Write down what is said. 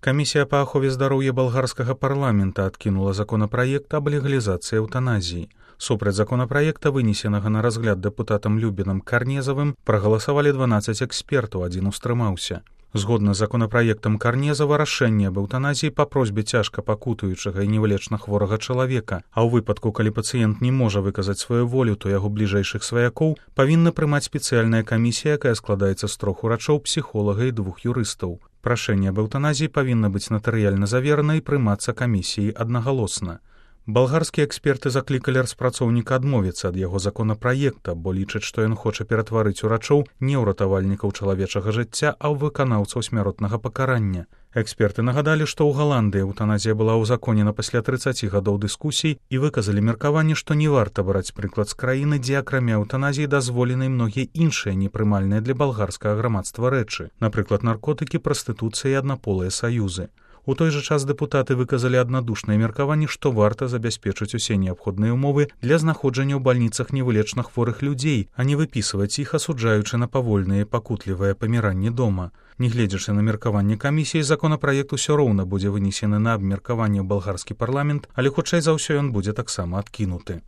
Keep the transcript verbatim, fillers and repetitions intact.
Камісія па ахове здароўя балгарскага парламента адкінула законапраект аб легалізацыі эўтаназіі. Супраць законапраекта, вынесенага на разгляд дэпутатам Любінам Карнезавым, прагаласавалі дванаццаць экспертаў, адзін устрымаўся. Згодна з законапраектам Карнезава, рашэнне аб эўтаназіі па просьбе цяжка пакутуючага і невылечна хворага чалавека, а ў выпадку, калі пацыент не можа выказаць сваю волю, то яго бліжэйшых сваякоў павінна прымаць спецыяльная камісія, якая складаецца з трох урачоў, псіхолага і двух юрыстаў. Прашэнне аб эўтаназіі павінна быць натарыяльна заверана і прымацца камісіяй аднагалосна. Балгарскія эксперты заклікалі распрацоўніка адмовіцца ад яго законапраекта, бо лічаць, што ён хоча ператварыць урачоў не ў ратавальнікаў чалавечага жыцця, а ў выканаўцаў смяротнага пакарання. Эксперты нагадалі, што ў Галандыі эўтаназія была ўзаконена пасля трыццаці гадоў дыскусій і выказалі меркаванне, што не варта браць прыклад з краіны, дзе акрамя эўтаназіі дазволены многія іншыя непрымальныя для балгарскага грамадства рэчы, напрыклад, наркотыкі, прастытуцыя і аднаполыя саюзы. У той жа час дэпутаты выказалі аднадушнае меркаванне, што варта забяспечыць усе неабходныя ўмовы для знаходжання ў бальніцах невылечна хворых людзей, а не выпісваць іх, асуджаючы на павольнае і пакутлівае паміранне дома. Нягледзячы на меркаванне камісіі, законапраект усё роўна будзе вынесены на абмеркаванне ў балгарскі парламент, але хутчэй за ўсё ён будзе таксама адкінуты.